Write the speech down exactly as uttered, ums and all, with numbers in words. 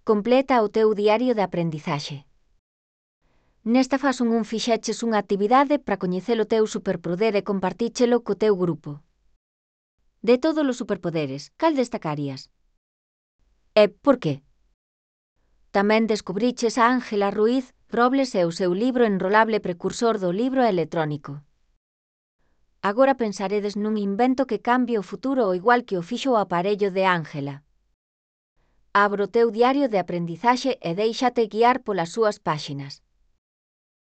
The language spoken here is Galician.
Completa o teu diario de aprendizaxe. Nesta fase un fixeches unha actividade para coñecer o teu superpoder e compartíchelo co teu grupo. De todos os superpoderes, cal destacarías? E por qué? Tamén descubriches a Ángela Ruiz Robles e o seu libro enrolable precursor do libro electrónico. Agora pensaredes nun invento que cambie o futuro ao igual que o fixo o aparello de Ángela. Abro o teu diario de aprendizaxe e déixate guiar polas súas páxinas.